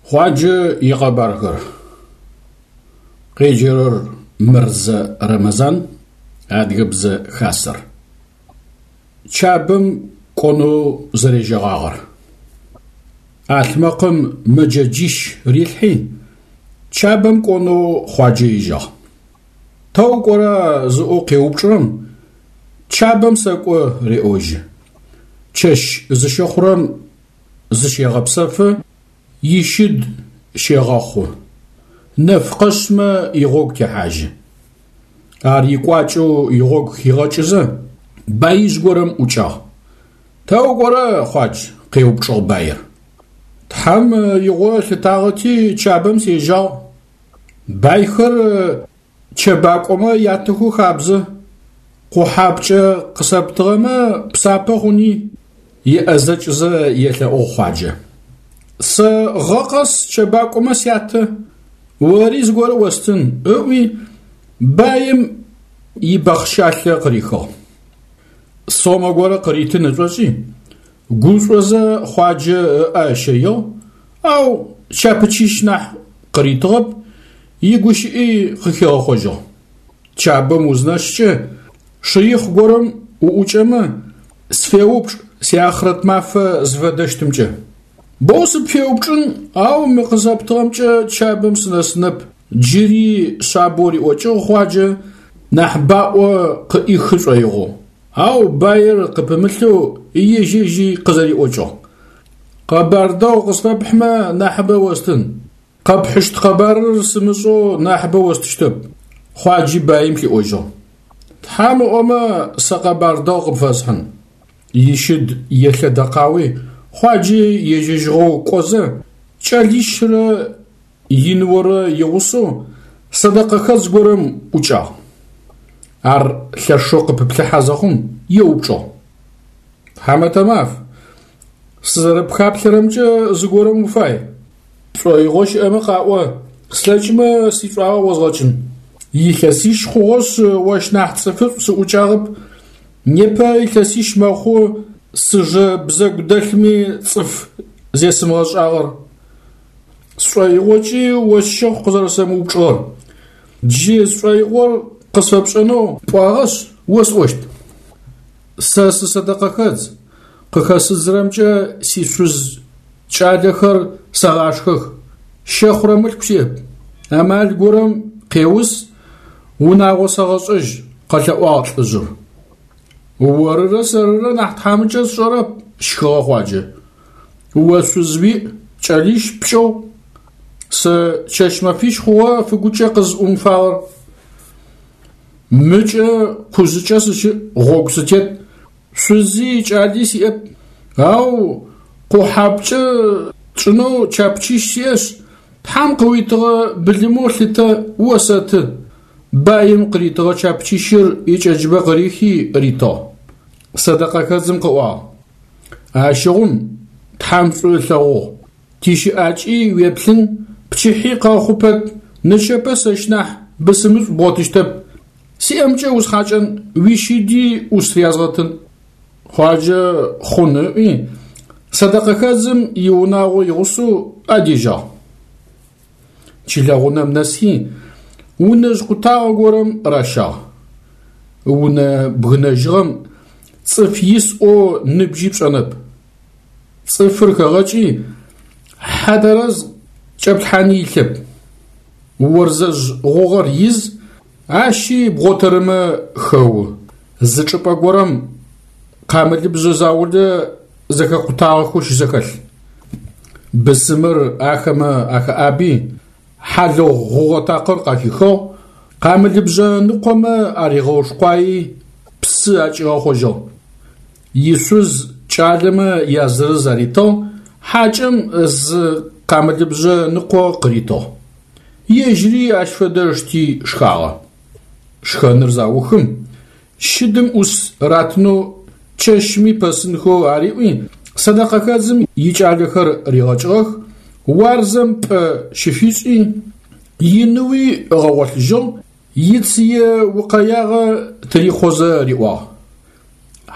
Хъуаджэ икъэбархэр. Къеджэрэр Мырзэ Рэмэзан, Адыгэбзэ Хасэр. Чабэм кӏонэу зэрежьэгъагъэр. ӏалъмэкъым мэджэджищ рилъхьи, Чабэм кӏонэу Хъуаджэ ежьагъ. Тэ укӏора зыӏоу къеупчӏырэм, Чабэм сэкӏо реӏожьы. Чэщ зыщыхъурэм зыщегъэпсэфы, ищыд щегъэхъу. Нэф къэшъмэ игъогу техьажьы. Ар икӏуакӏэу игъогу хигъэкӏызэ, баижъ горэм ӏукӏагъ. Тэ укӏорэ, Хъуадж? къеупчӏыгъ баир. Тхьэм игъо ылъытагъэти, Чабэм сежьагъ. Байхэр чэбакӏомэ ятэхэу хабзэ. Къухьапкӏэ къысэптыгъэмэ, псапэ хъуни, еӏэзэкӏызэ елъэӏугъ Хъуаджэ. Сэ гъэ къэс чэбакӏомэ сятэ, ори зыгорэ остын, ыӏуи, баим ибэхъщалъэ къырихыгъ. Сомэ горэ къыритын ышӏошӏи, гушӏозэ Хъуаджэ ыӏэ ыщэигъ, ау чапычищ нахь къыритыгъэп, игущыӏи къыхигъэхъожьыгъ. Чабэм узнэскӏэ, шыихъ горэм уӏукӏэмэ, сфеупчӏ сиахърэт мафэ зыфэдэщтымкӏэ. Боу сыпфеупчӏын, ау мы къызэптыгъэмкӏэ Чабэм сынэсынэп, джыри шъабэу риӏокӏыгъ Хъуаджэ, нахь баӏо къыӏихы шӏоигъоу. Ау баир къыпымылъэу ежь-ежьи къызэриӏокӏыгъ. Къэбар дэгъу къысфэпхьмэ, нахьыбэ остын. Къэпхьыщт къэбарыр сымышӏэу нахьыбэ остыщтэп, Хъуаджи баим хиӏожьыгъ. Тхьам ыӏомэ, сэ къэбар дэгъу къыпфэсхьын. Ищыд елъэдэкъауи, Хъуаджи ежьэжьыгъэу кӏозэ, кӏэлищрэ иныорэ игъусэу сэдэкъэхэдз горэм ӏукӏагъ. Ар лъэшэу къыпыплъыхьэ зэхъум, еупчӏыгъ. Тхьамэтэ маф, сызэрэпхаплъэрэмкӏэ зыгорэм уфай. Пшӏоигъо щыӏэмэ къаӏо, слъэкӏмэ сишӏуагъэ озгъэкӏын. Илъэсищ хъугъэшъ ощ нахь цӏыфышӏу сыӏукӏагъэп. Непэ илъэсищ мэхъу сыжэ бзэгу дэлъми цӏыф зесымыгъэшӏагъэр. Сшӏоигъокӏи о сщэхъу къызэрэсэмыупчӏыгъэр. Джы сшӏоигъор къысфэпшӏэнэу пӏуагъэшъ, осӏощт. Сэ сысэдэкъэхэдз, къыхэсыдзырэмкӏэ сишъуз кӏалэхэр сэгъашхэх, щэхъурэ мылъку сиӏэп. Амал горэм къеус, унагъо сэгъэшӏэжь, къэлъэӏуагъ лӏыжъыр. Орырэ сэрырэ нахь тхьамыкӏэ сшӏэрэп, щхыгъэ Хъуаджэ. О шъуз уиӏ, кӏэлищ пкӏыгъу. Сэ чэщ-мэфищ хъугъэ фыгукӏэ къызӏумыфагъэр. Мыкӏэ къужъыкӏэ сыщыӏ, гъогу сытет, шъузи кӏали сиӏэп, ау къухьапкӏэ тшӏынэу чапычищ сиӏэшъ, Тхьэм къыуитыгъэ былымэу лъытэ, осэты. Баим къыритыгъэ чапычищыр икӏэджыбэ къырихи ритыгъ. Сэдэкъэхэдзым къыӏуагъ: Ащыгъум Тхьэм шӏу ылъэгъугъ. Тищыӏакӏи уеплъын, пчыхьи къэхъу пэт, нычэпэ сэщ нахь бысымышӏу бгъотыщтэп. Сиӏэмкӏэ усхьакӏэн, уищыди ӏус рязгъэтын. Хъуаджэ хъун ыӏуи, сэдэкъэхэдзым иунагъо игъусэу адежьагъ. Чылэгъунэм нэсхи, унэжъ къутагъэ горэм ращагъ. Унэ бгынэжьыгъэм цӏыф ис ӏоу ныбжьи пшӏэнэп. Цӏыфыр хэгъэкӏи, хьэ тэрэз кӏэплъхьани илъэп. Орзэжъ гъугъэр из, ащи бгъотэрымэ хэу. Зы чӏыпӏэ горэм къамылыбжъэ заулэ зэхэкъутагъэхэу щызэхэлъ. Бысымыр ахэмэ ахэӏаби, хьалыгъу гъугъэ такъыр къахихыгъ, къамылыбжъэ ныкъомэ аригъэушкъуаи, псы акӏигъэхъожьыгъ. Ишъуз кӏалэмэ язырыз аритыгъ, хьакӏэм зы къамылыбжъэ ныкъо къыритыгъ. Ежьыри ащ фэдэ ышти шхагъэ. Шхэныр заухым, щыдым ӏус ратынэу чэщми пэсынхэу ариӏуи, сэдэкъэхэдзым икӏалэхэр ригъэкӏыгъэх, уарзэм пӏэ щыфишӏи, иныуи ыгъэгъолъыжьыгъ, ицые укъэягъэ тырихъозэ риӏуагъ: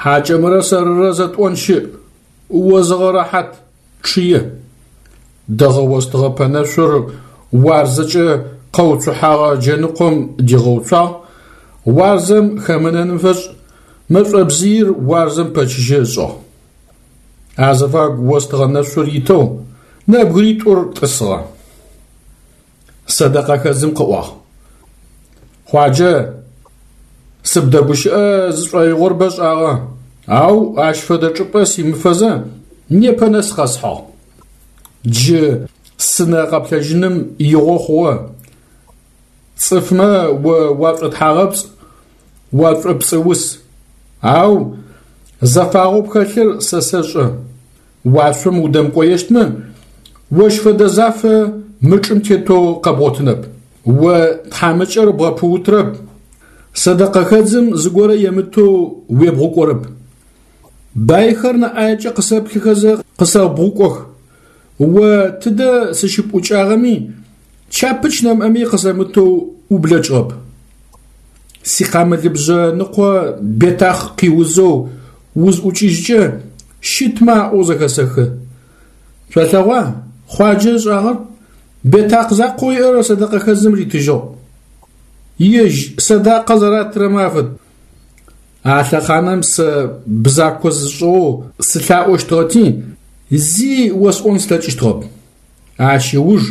Хьакӏэмрэ сэрырэ зэтӏон щыӏ, о зыгъэрэхьат, чъые. Дэгъэ остыгъэ пэнэшъур уарзэкӏэ къэуцухьагъэ джэныкъом дигъэуцуагъ, уарзэм хэмынэным фэшӏ мэшӏобзыир уарзэм пэчыжьэ ышӏыгъ. Азыфагу остыгъэ нэшъур итэу нэбгыритӏур тӏысыгъэ. Сэдэкъэхэдзым къыӏуагъ: Хъуаджэ, сыбдэгущыӏэ зысшӏоигъор бэшӏагъэ, ау ащ фэдэ чӏыпӏэ симыфэзэ непэ нэс къэсхьыгъ. Джы сынэ къэплъэжьыным игъо хъугъэ. Цӏыфмэ о уашӏотхьагъэпцӏ, уашӏопцӏыус, ау зэфагъэу пхэлъыр сэ сэшӏэ. Уашъом удэмыкӏоещтмэ, ощ фэдэ зафэ мы чӏым тетэу къэбгъотынэп. О тхьамыкӏэр бгъэпыутрэп, сэдэкъэхэдзым зыгорэ емытэу уебгъукӏорэп. Байхэр нэ ӏаекӏэ къысэплъыхэзэ къысэбгъукӏох. О тыдэ сыщыпӏукӏагъэми, чапыч нэмыӏэми къысэмытэу ублэкӏыгъэп. Сикъамылыбжъэ ныкъо бетахъ къиузэу узӏукӏыжькӏэ, щытмэ аӏоу зэхэсэхы. Шъолъэгъуа Хъуаджэ ышӏагъэр? Бетакъ закъоу иӏэр сэдэкъэхэдзым ритыжьыгъ. Ежь сэдакъэ зэратырэмэ афэд. А лъэхъанэм сэ бзако зысшӏыгъэу сылъаӏощтыгъэти, зи осӏон слъэкӏыщтыгъэп. Ащ ыуж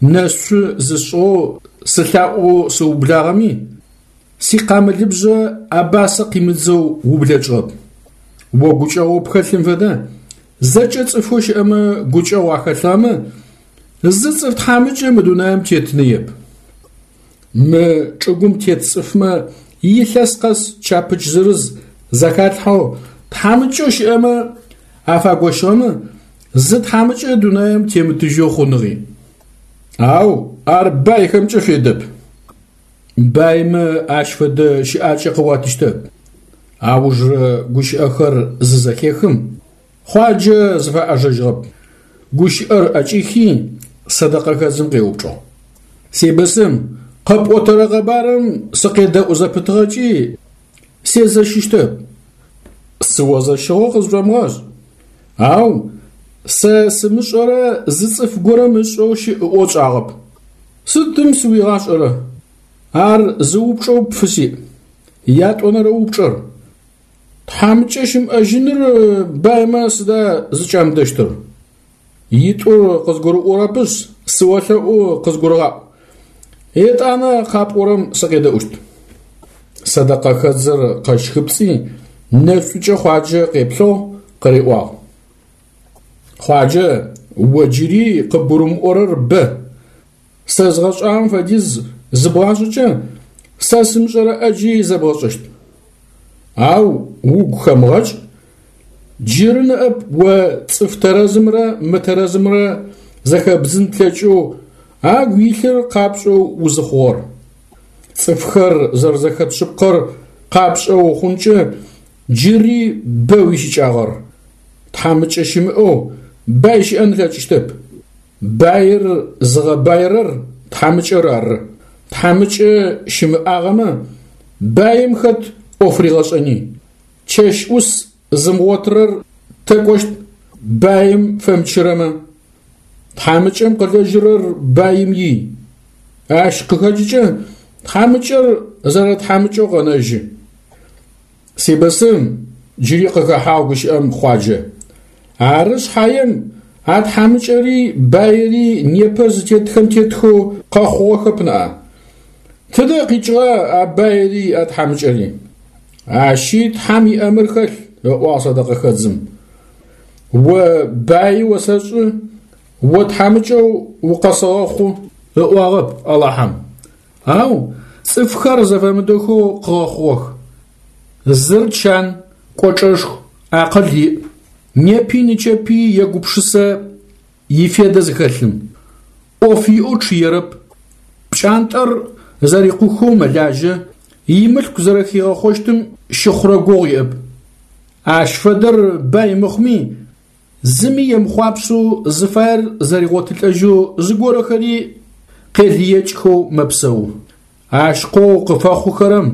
нэшъу зысшӏыгъэу сылъаӏоу сыублагъэми, сикъамылыбжъэ абасэ къимыдзэу ублэкӏыгъэп. О гукӏэгъоу пхэлъым фэдэ, зэкӏэ цӏыфэу щыӏэмэ гукӏэгъу ахэлъыгъэмэ, зы цӏыф тхьамыкӏэ мы дунаим тетыныеп. Мы чӏыгум тет цӏыфмэ илъэс къэс чапыч зырыз зэхалъхьэу тхьамыкӏэу щыӏэмэ афагощыгъэмэ, зы тхьамыкӏэ дунаим темытыжьэу хъуныгъи. Ау ар байхэмкӏэ федэп. Баймэ ащ фэдэ щыӏакӏэ къыуатыщтэп. Аужырэ гущыӏэхэр зызэхехым, Хъуаджэ зыфэӏэжэжьыгъэп. Гущыӏэр ӏэкӏихи, сэдэкъэхэдзым къеупчӏыгъ. Сибысым, къэпӏотэрэ къэбарым сыкъедэӏу зэпытыгъэкӏи, сезэщыщтэп. Сыозэщыгъэу къызшӏомыгъэшӏ. Ау сэ сымышӏэрэ зы цӏыф горэм ышӏэу щыӏ ыӏоу тшӏагъэп. Сыдым сыуигъашӏэрэ? Ар зы упчӏэу пфысиӏ. Ятӏонэрэ упчӏэр. Тхьамыкӏэ щымыӏэжьыныр баймэ сыда зыкӏамыдэщтыр? Итӏур къызгурыӏорэпышъ, сыолъэӏу къызгурыгъаӏу. Етӏанэ къапӏорэм сыкъедэӏущт. Сэдэкъэхэдзыр къэщхыпцӏи, нэшӏукӏэ Хъуаджэ къеплъыгъ, къыриӏуагъ. Хъуаджэ, о джыри къыбгурымыӏорэр бэ. Сэ згъэшӏагъэм фэдиз зыбгъашӏэкӏэ, сэ сымышӏэрэ ӏэджи зэбгъэшӏэщт. Ау угу хэмыгъэкӏ, джыры ныӏэп о цӏыф тэрэзымрэ мытэрэзымрэ зэхэбдзын плъэкӏэу агу илъыр къапшӏэу узыхъугъэр. Цӏыфхэр зэрэзэхэт шъыпкъэр къапшӏэу ухъункӏэ джыри бэ уищыкӏагъэр. Тхьамыкӏэ щымыӏэу бай щыӏэн ылъэкӏыщтэп. Баир зыгъэбаирэр тхьамыкӏэр ары. Тхьамыкӏэ щымыӏагъэмэ, баим хэт ӏоф ригъэшӏэни. Чэщ ӏус зымыгъотырэр тэ кӏощт баим фэмычырэмэ? Тхьамыкӏэм къылэжьырэр баим ий. Ащ къыхэкӏыкӏэ тхьамыкӏэр зэрэтхьамыкӏэу къэнэжьы. Сибысым, джыри къыхэхьагъ гущыӏэм Хъуаджэ. Ары шъхьаем, а тхьамыкӏэри баири непэ зытетхэм тетхэу къэхъугъэхэп ныӏа. Тыдэ къикӏыгъа а баири а тхьамыкӏэри? Ащи Тхьэм иӏэмыр хэлъ, ыӏуагъ сэдэкъэхэдзым. О баи осэшӏы, о тхьамыкӏэу укъэсэгъэхъу, ыӏуагъэп Алахьэм. Ау цӏыфхэр зэфэмыдэхэу къыгъэхъугъэх. Зыр чан, кӏочӏэшху, акъыл иӏ. Непи нычэпи егупшысэ ифедэ зыхэлъым. ӏоф иӏэу чъыерэп. Пкӏантӏэр зэрикъухэу мэлажьэ, имылъку зэрэхигъэхъощтым щыхъурэ гугъу иӏэп. Ащ фэдэр бай мыхъуми, Зыми емыхъуапсэу зыфаер зэригъотылӏэжьэу зыгорэхэри къелыекӏхэу мэпсэу. Ащ къоу къыфэхъухэрэм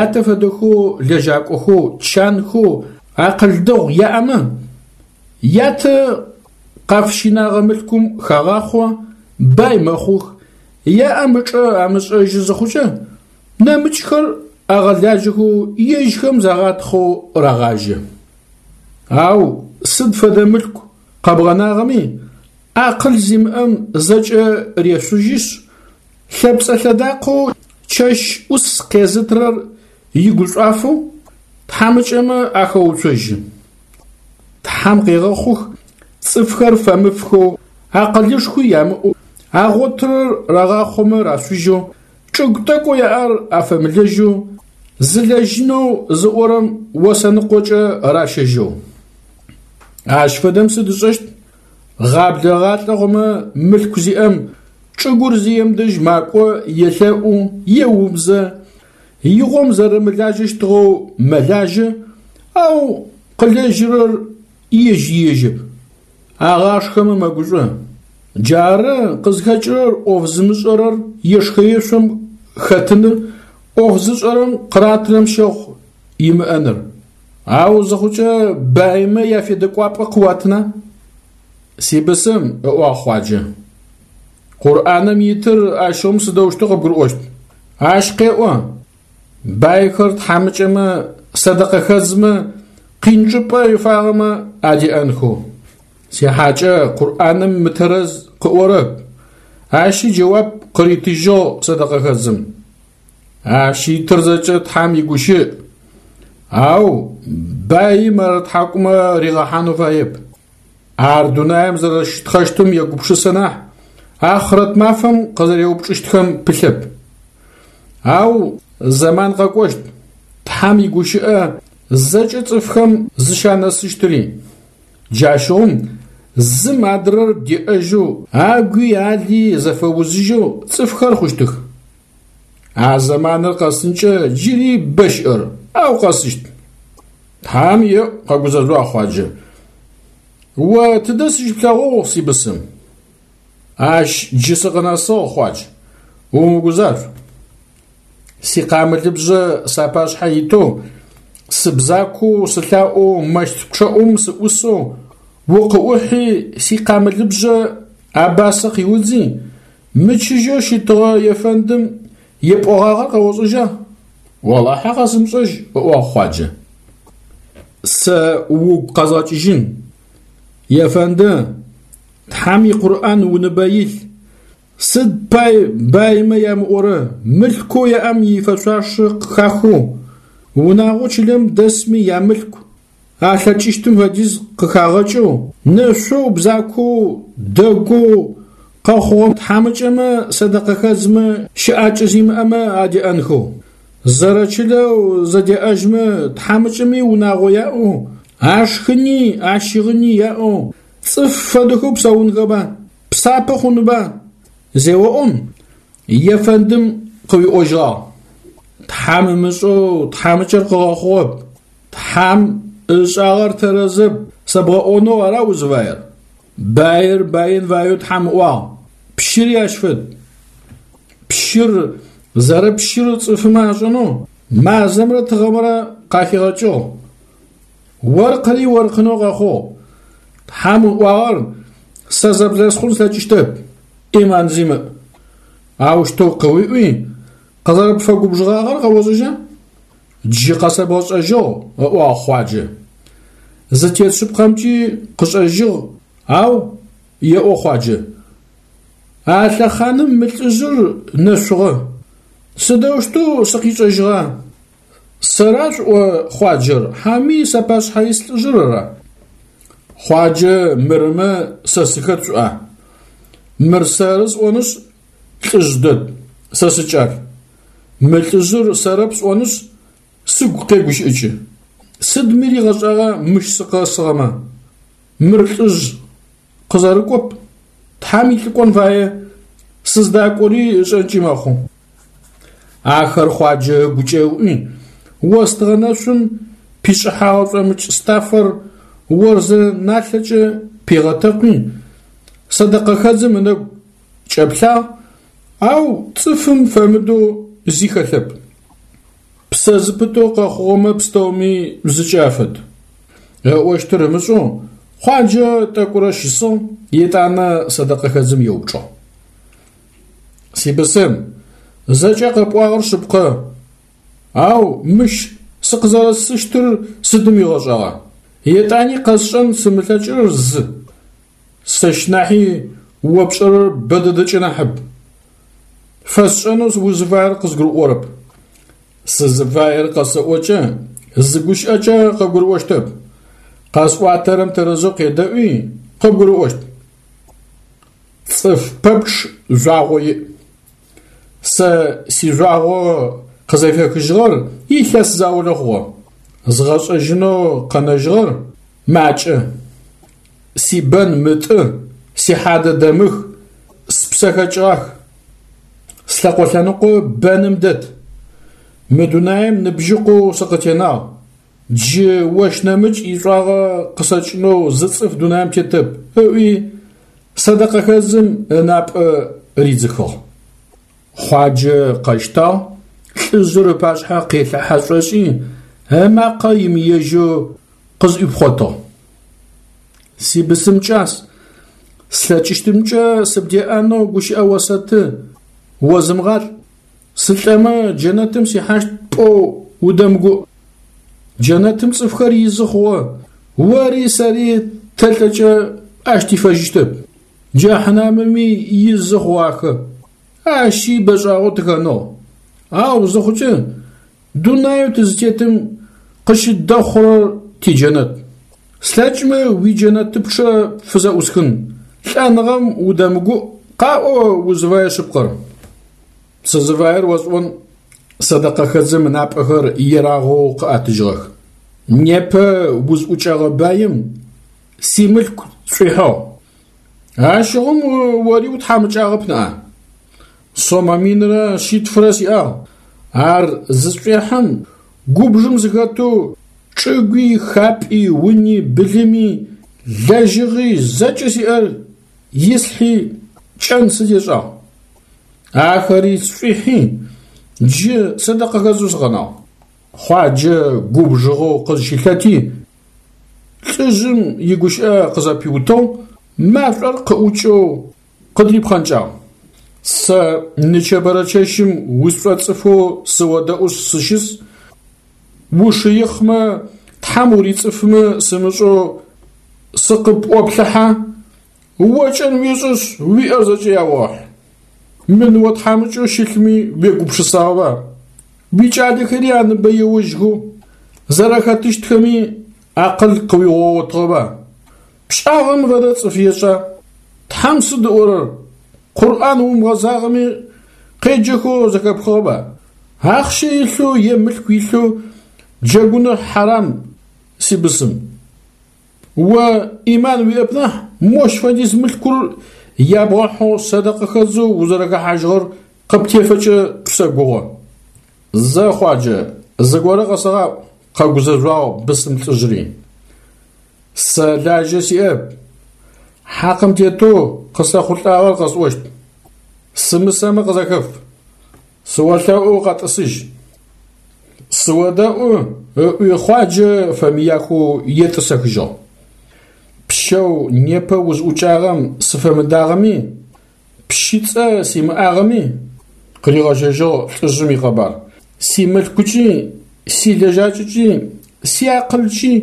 ятэ фэдэхэу лэжьакӏохэу, чанхэу, акъыл дэгъу яӏэмэ, ятэ къафыщинагъэ мылъкум хагъахъо, бай мэхъух, яӏэм ычӏэ амышӏэжьы зыхъукӏэ, нэмыкӏхэр агъэлажьэхэу ежьхэм загъатхъэу рагъажьэ. Ау сыд фэдэ мылъку къэбгъэнагъэми, акъыл зимыӏэм зэкӏэ решъужьышъ, лъэпцӏэ-лъэдакъэу чэщ ӏус къезытырэр игушӏуафэу тхьамыкӏэмэ ахэуцожьы. Тхьэм къегъэхъух цӏыфхэр фэмыфхэу, акъылышхуи ямыӏэу, агъотырэр рагъахъомэ рашъужьэу, чӏыгу тӏэкӏоу яӏэр афэмылэжьэу, зылэжьынэу зыӏорэм осэныкъокӏэ ращэжьэу. Ащ фэдэм сыд ышӏэщт? Гъаблэ ыгъалӏэ хъумэ, мылъку зиӏэм чӏыгур зием дэжь макӏо, елъэӏу, еубзэ, игъом зэрэмылажьэщтыгъэу мэлажьэ, ау къылэжьырэр ежь иежьэп. Агъашхэмэ мэгушӏо. Джары къызхэкӏырэр ӏоф зымышӏэрэр ешхэ-ешъом хэтыныр, ӏоф зышӏэрэм къыратырэм щэхъу имыӏэныр. Ау зыхъукӏэ баймэ яфедэкӏуапӏэ къыуатына? Сибысым, ыӏуагъ Хъуаджэ. Къурӏаным итыр ащыгъум сыдэущтэу къыбгурыӏощт? Ащ къеӏо, байхэр тхьамыкӏэмэ, сэдэкъэхэдзмэ, къин чӏыпӏэ ифагъэмэ адеӏэнхэу. Сихьакӏэ Къурӏаным мытэрэз къыӏорэп. Ащи джэуап къыритыжьыгъ сэдэкъэхэдзым. Ащ итыр зэкӏэ Тхьэм игущыӏ, ау баим ар ытхьакӏумэ ригъэхьанэу фаеп. Ар дунаим зэрэщытхъэщтым егупшысэ нахь, ахърэт мафэм къызэреупчӏыщтхэм пылъэп. Ау зэман къэкӏощт, Тхьэм игущыӏэ зэкӏэ цӏыфхэм зыщанэсыщтыри. Джащыгъум зым адрэр деӏэжьэу, агуи али зэфэузыжьэу цӏыфхэр хъущтых. А зэманыр къэсынкӏэ джыри бэ щыӏэр, ау къэсыщт. Тхьам еӏу, къэгузэжъуагъ Хъуаджэ. О тыдэ сыщыплъэгъугъ, сибысым? Ащ джы сыкъынэсыгъ, Хъуадж. Умыгузажъу. Сикъамылыбжъэ сапашъхьэ итэу, сыбзакоу, сылъаӏоу мэщт пчъэӏум сыӏусэу, укъыӏухьи, сикъамылыбжъэ абасэ къиудзи, Мычыжьэу щытыгъэ ефэндым епӏогъагъэр къэошӏэжьа? Олахьэ къэсымышӏэжь, ыӏуагъ Хъуаджэ. Сэ угу къэзгъэкӏыжьын. Ефэнды, Тхьэм и Къурӏан уныбэ илъ. Сыд пай баймэ ямыӏорэ мылъкоу яӏэм ифэшъуашэ къыхахэу, унагъоу чылэм дэсми ямылъку Алъэкӏыщтым фэдиз къыхагъэкӏэу, нэшъоу, бзакоу, дэгоу къэхъугъэ тхьамыкӏэмэ, сэдэкъэхэдзмэ, щыӏакӏэ зимыӏэмэ адеӏэнхэу. Зэрэчылэу зэдеӏэжьмэ, тхьамыкӏэми унагъо яӏэу, ашхыни, ащыгъыни яӏэу, цӏыф фэдэхэу псэунхэба, псапэ хъунба? Зеоӏом, ефэндым къыуиӏожьыгъагъ. Тхьам ымышӏэу тхьамыкӏэр къыгъэхъугъэп. Тхьам ышӏагъэр тэрэзэп сэбгъэӏонэу ара узыфаер? Баир баин фаеу Тхьам ыӏуагъ. Пщыри ащ фэд. Пщыр зэрэпщыр цӏыфымэ ашӏэнэу мазэмрэ тыгъэмрэ къахигъэкӏыгъ. Оркъыри оркъынэу къэхъугъ. Тхьам ыӏуагъэр сэ зэблэсхъун слъэкӏыщтэп, ӏиман зимыӏ. Аущтэу къыуиӏуи, къызэрэпфэгубжыгъагъэр къэошӏэжьа? Джы къэсэбгъэшӏэжьыгъ, ыӏуагъ Хъуаджэ. Зытет шъыпкъэмкӏи къышӏэжьыгъ, ау, еӏо Хъуаджэ, а лъэхъаным мы лӏыжъыр нэшъугъэ. Сыдэущтэу сыкъишӏэжьыгъа? Сэра шъуӏо Хъуаджэр, хьауми сапашъхьэ ис лӏыжъыр ара? Хъуаджэ мырымэ сэ сыхэт шъуӏа? Мыр сэры сӏонышъ, лӏыжъ дэд, сэ сыкӏал. Мы лӏыжъыр сэрэп сӏонышъ, сыгу къегущыӏыкӏы. Сыдми ригъэшӏагъа мыщ сыкъэсыгъэмэ? Мыр лӏыжъ къызэрыкӏоп, Тхьэм илӏыкӏон фае, сыздакӏори ышӏэнкӏи мэхъу. Ахэр Хъуаджэ ыгукӏэ ыӏуи, остыгъэ нэшъум пишӏыхьагъэ шӏомыкӏ стафэр орзэ налъэкӏэ пигъэтэкъуи, сэдэкъэхэдзым ынэгу кӏэплъагъ, ау цӏыфым фэмыдэу зи хэлъэп. Псэ зыпытэу къэхъугъэмэ пстэуми зыкӏэ афэд. Ыӏощтыр ымышӏэу Хъуаджэ тӏэкӏурэ щысыгъ, етӏанэ сэдэкъэхэдзым еупчӏыгъ. Сибысым, зэкӏэ къэпӏуагъэр шъыпкъэ, ау мыщ сыкъызэрэсыщтыр сыдым уигъэшӏагъа? Етӏани къэсшӏэн сымылъэкӏырэр зы. Сэщ нахьи о пшӏэрэр бэ дэдэкӏэ нахьыб. Фэсшӏэнэу узыфаер къызгурыӏорэп. Сызыфаер къэсэӏокӏэ, зы гущыӏэкӏэ къыбгурыӏощтэп. Къэсӏуатэрэм тэрэзэу къедэӏуи, къыбгурыӏощт. Цӏыф пэпчъ жъуагъо иӏ. Сэ сижъуагъо къызэфехыжьыгъэр илъэс заулэ хъугъэ. Згъэшӏэжьынэу къэнэжьыгъэр макӏэ. Сибэн мытӏы, сихьадэ дэмых, спсэ хэкӏыгъах. Слъэкъо лъэныкъо бэным дэт. Мы дунаим ныбжьыкъоу сыкъытенагъ. Джы ощ нэмыкӏ ишӏуагъэ къысэкӏынэу зы цӏыф дунаим тетэп, ыӏуи, сэдэкъэхэдзым ынапӏэ ридзыхыгъ. Хъуаджэ къэщтагъ, лӏыжъыр ыпашъхьэ къелъыхьэ шӏошӏи, ымакъэ имыежьэу къызӏуипхъотыгъ. Сибысым кӏас, слъэкӏыщтымкӏэ сыбдеӏэнэу гущыӏэ осэты, озымгъалӏ. Сылӏэмэ, джэнэтым сихьащт пӏоу удэмыгуӏ. Джэнэтым цӏыфхэр изы хъугъэ, ори сэри тэлӏэкӏэ ащ тифэжьыщтэп. Джэхьнамыми изы хъугъахэ, ащи бэшӏагъэу тыхэнэгъ. Ау зыхъукӏэ, дунаеу тызытетым къыщыддэхъурэр тиджэнэт. Слъэкӏмэ уиджэнэтыпчъэ пфызэӏусхын, лӏэныгъэм удэмыгуӏ, къаӏо узыфае шъыпкъэр. Сызыфаер осӏон, сэдэкъэхэдзым ынапӏэхэр ерагъэу къыӏэтыжьыгъэх. Непэ узӏукӏэгъэ баим симылъку сшӏуихьыгъ. Ащыгъум ори утхьамыкӏагъэп ныӏа? Сомэ минрэ шъитфырэ сиӏагъ. Ар зысшӏуехьым, губжым сыхэтэу чӏыгуи, хапӏи, уни, былыми, лэжьыгъи зэкӏэ сиӏэр ислъхьи, кӏэн сыдешӏагъ. Ахэри сшӏуихьи, джы сэдэкъэхэдзэу сыкъэнагъ. Хъуаджэ губжыгъэу къызщылъэти, лӏыжъым игущыӏэ къызэпиутыгъ, машӏор къыӏукӏэу къыдрипхъэнкӏагъ. Сэ нычэбэрэ чэщым усшӏоцӏыфэу сыодэӏушъ сыщыс, ушыихъмэ, Тхьэм урицӏыфмэ сымышӏэу сыкъыпӏоплъыхьэ, О кӏэн уешӏышъ, уиӏэр зэкӏэ яогъэхь. Мы ныо тхьамыкӏэу щылъми уегупшысагъэба? Уикӏалэхэри аныбэ еожьхэу зэрэхэтыщтхэми акъыл къыуигъэгъотыгъэба? Пшӏагъэм фэдэ цӏыф ешӏа? Тхьэм сыд ыӏорэр? Къурӏан умыгъэзагъэми къеджэхэу зэхэпхыгъэба? Ахъщэ илъэу е мылъку илъэу джэгуныр хьарам, сибысым. О ӏиман уиӏэп нахь, мощ фэдиз мылъкур ябгъэхьэу сэдэкъэхэдзэу узэрэхэхьажьыгъэр къыптефэкӏэ сэгугъэ. Зэ, Хъуаджэ, зыгорэ къэсэгъаӏу, къэгузэжъуагъ бысым лӏыжъри. Сэ лажьэ сиӏэп. Хьакъым тетэу къысэхъулӏагъэр къэсӏощт. Сымысэмэ къызэхэф. Сыолъэӏу къэтӏысыжь. Сыодэӏу, ыӏуи Хъуаджэ фэмыяхэу етӏысэхыжьыгъ. Пщэу непэ узӏукӏагъэм сыфэмыдагъэми, пщыцӏэ симыӏагъэми, къыригъэжьэжьыгъ лӏыжъым икъэбар, симылъкукӏи, силэжьакӏэкӏи, сиакъылкӏи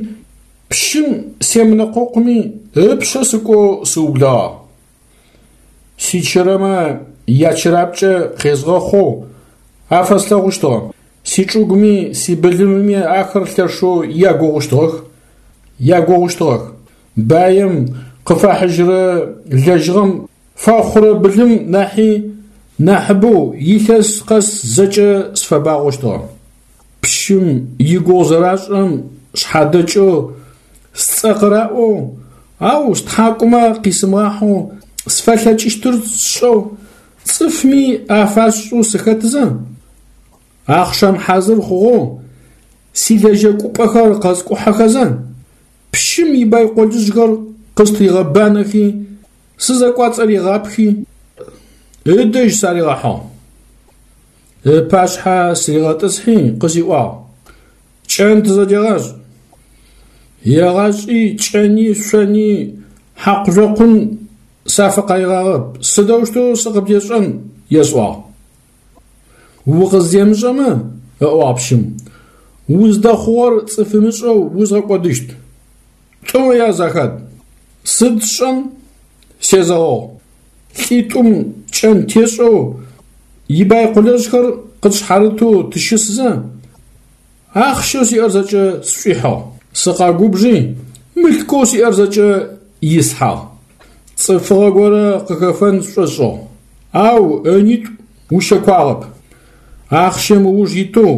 пщым семынэкъокъуми, ыпшъэ сыкӏоу сыублэгъагъ. Сичырэмэ ячырапкӏэ къезгъэхъоу афэслъэгъущтыгъэ. Сичӏыгуми сибылымыми ахэр лъэшэу ягугъущтыгъэх, ягугъущтыгъэх. Баим къыфахьыжьырэ лэжьыгъэм фэхъурэ былым нахьи нахьыбэу илъэс къэс зэкӏэ сфэбагъощтыгъэ. Пщым игугъу зэрашӏырэм шъхьадэкӏэу сцӏэ къыраӏоу, ау стхьакӏумэ къисымыгъахьэу сфэлъэкӏыщтыр сшӏэу, цӏыфми афасшӏэу сыхэтызэ, ахъшэм хьазыр хъугъэу силэжьэкӏупӏэхэр къэскӏухьэхэзэ, пщым ибайколыжъхэр къыстригъэбанэхи, сызэкӏуацӏэригъапхи, ыдэжь саригъэхьыгъ. Ыпашъхьэ сыригъэтӏысхьи къысиӏуагъ: Кӏэн тызэдегъашӏ. Егъашӏи кӏэни шъони хьакъу-жъокъум сафэкъаигъагъэп, сыдэущтэу сыкъыбдешӏэн, есӏуагъ. Укъыздемышӏэмэ, ыӏуагъ пщым, уздэхъугъэр цӏыф ымышӏэу узгъэкӏодыщт. Тӏумэ яз ахад. Сыд сшӏэн? Сезэгъыгъ. Лӏитӏум кӏэн тешӏэу ибайкъулэжъхэр къытшъхьарытэу тыщысзэ, ахъщэу сиӏэр зэкӏэ сшӏуихьыгъ. Сыкъэгубжи, мылъкоу сиӏэр зэкӏэ ислъхьагъ. Цӏыфыгъэ горэ къыхэфэн сшӏошӏыгъ, ау ынитӏу ущэкуагъэп. Ахъщэм ыуж итэу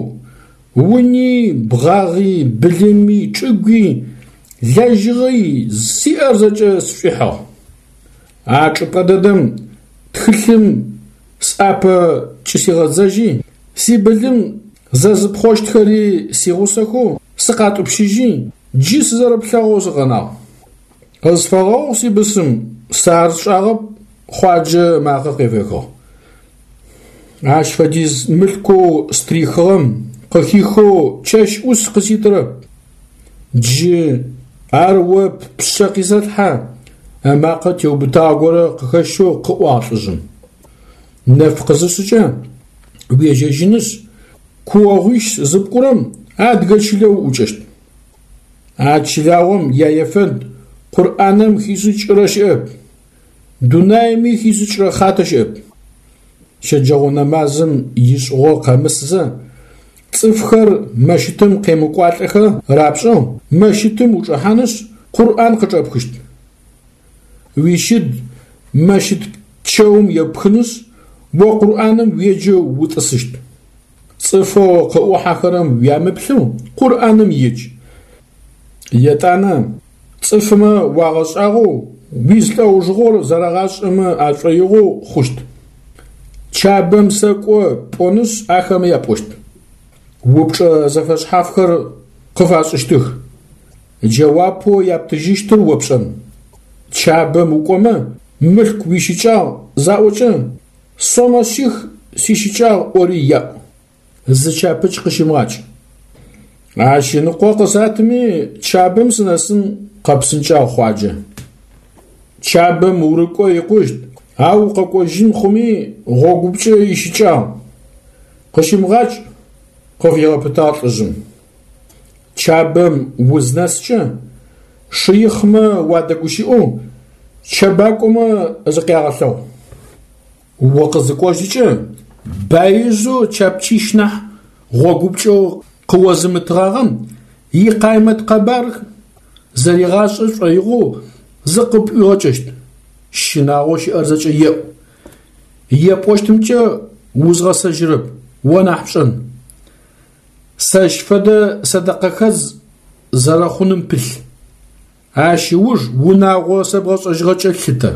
уни, бгъагъи, былыми, чӏыгуи, лэжьыгъи сиӏэр зэкӏэ сшӏуихьыгъ. А чӏыпӏэ дэдэм тхылъым сӏапэ кӏысигъэдзэжьи, сибылым зэзыпхъощтхэри сигъусэхэу сыкъатӏупщыжьи, джы сызэрэплъэгъоу сыкъэнагъ. Къысфэгъэгъу, сибысым, сэ ар сшӏагъэп, Хъуаджэ ымакъэ къефэхыгъ. Ащ фэдиз мылъкоу стрихыгъэм къыхихэу чэщ ӏус къыситырэп. Джы ар о ппшъэ къисэлъхьэ, ымакъэ теубытагъэ горэ къыхэщэу къыӏуагъ лӏыжъым. Нэф къызышъыкӏэ уежьэжьынышъ, куогъуищ зыпкӏурэм адыгэ чылэ уӏукӏэщт. А чылагъом яефэнд Къурӏаным хишӏыкӏырэ щыӏэп, дунаими хишӏыкӏырэ хъатэ щыӏэп. Щэджэгъо нэмазым ишӏыгъо къэмысзэ, цӏыфхэр мэщытым къемыкӏуалӏэхэ рапшӏэу, мэщытым учӏэхьанышъ, Къурӏан къычӏэпхыщт. Уищыд мэщыт чэум еппхынышъ, о Къурӏаным уеджэу утӏысыщт. Цӏыфэу къыӏухьэхэрэм уямыплъэу Къурӏаным едж. Етӏанэ цӏыфмэ уагъэшӏагъоу уизлӏэужыгъор зэрагъашӏэмэ ашӏоигъоу хъущт. Чабэм сэкӏо пӏонышъ ахэмэ япӏощт. Упчӏэ зэфэшъхьафхэр къыфашӏыщтых. Джэуапэу яптыжьыщтыр о пшӏэн. Чабэм укӏомэ мылъку уищыкӏагъ заӏокӏэ, сомэ шъих сищыкӏагъ ӏори яӏу. Зы чапыч къыщымыгъакӏ. Ащ ыныкъо къысатми, Чабэм сынэсын, къэпсынкӏагъ Хъуаджэ. Чабэм урыкӏо икъущт, ау укъэкӏожьын хъуми гъогупкӏэ ищыкӏагъ. Къыщымыгъакӏ, къыфигъэпытагъ лӏыжъым. Чабэм узнэскӏэ, шыихъмэ уадэгущыӏэу, чэбакӏомэ зыкъягъэлъэгъу. Укъызыкӏожьыкӏэ, баижъэу чапчищ нахь гъогупкӏэу къыозымытыгъагъэм икъаймэт къэбар зэригъашӏэ шӏоигъоу зыкъыпӏуигъэкӏэщт. Щынагъоу щыӏэр зэкӏэ еӏу. Епӏощтымкӏэ узгъэсэжьырэп, о нахь пшӏэн. Сэщ фэдэ сэдэкъэхэдз зэрэхъуным пылъ. Ащ ыуж унагъо сэбгъэшӏэжьыгъэкӏэ лъытэ.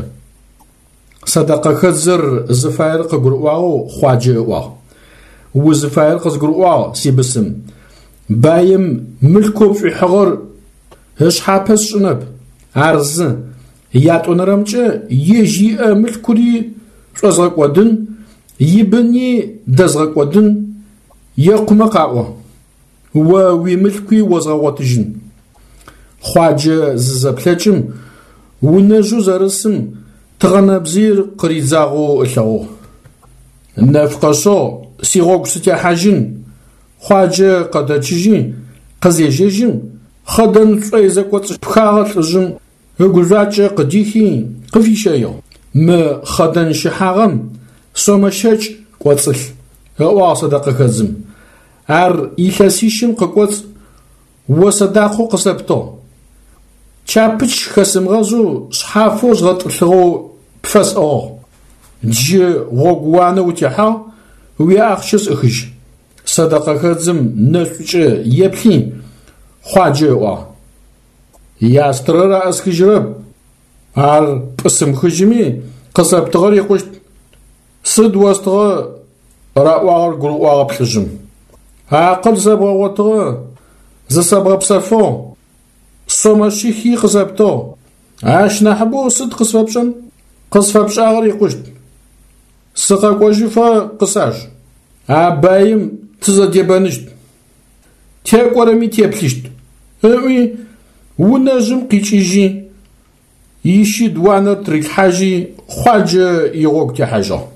Сэдэкъэхэдзыр зыфаер къыгурыӏуагъэу Хъуаджэ ыӏуагъ. Узыфаер къызгурыӏуагъ, сибысым. Баим мылъкоу пшӏуихьыгъэр ышъхьапэ сшӏынэп, ар зы. Ятӏонэрэмкӏэ ежь иӏэ мылъкури шӏозгъэкӏодын, ибыни дэзгъэкӏодын, екъумэ къаӏо. О уимылъкуи озгъэгъотыжьын. Хъуаджэ зызэплъэкӏым, унэжъэу зэрысым тыгъэнэбзыир къыридзагъэу ылъэгъугъ. Нэф къэшъыгъ, сигъогу сытехьажьын. Хъуаджэ къэдэчъыжьи, къызежьэжьым, хъэдэн шӏой зэкӏоцӏыпхагъэ лӏыжъым ыгужъуакӏэ къыдихи, къыфищэигъ. Мы хъэдэн щыхьагъэм сомэ щэкӏ кӏоцӏылъ, ыӏуагъ сэдэкъэхэдзым. Ар илъэсищым къыкӏоцӏ о сэдакъэу къысэптыгъ. Чапыч хэсымыгъэзэу шъхьафэу згъэтӏылъыгъэу пфэсӏыгъыгъ. Джы гъогууанэ утехьагъ, уиахъщэ сӏыхыжь. Сэдэкъэхэдзым нэшӏукӏэ еплъи, Хъуаджэ ыӏуагъ. Ястырэр аӏысхыжьырэп, ар пӏысымыхыжьыми, къысэптыгъэр икъущт. Сыд остыгъэ? Раӏуагъэр гурыӏуагъэп лӏыжъым. Акъыл зэбгъэгъотыгъэ, зысэбгъэпсэфыгъ, сомэ шъихи къысэптыгъ. Ащ нахьыбэу сыд къысфэпшӏэн? Къысфэпшӏагъэр икъущт. Сыкъэкӏожьыфэ къысаж. А баим тызэдебэныщт. Текӏорэми теплъыщт, ыӏуи. Унэжъым къикӏыжьи, ищыд уанэр тырилъхьажьи, Хъуаджэ игъогу техьажьыгъ.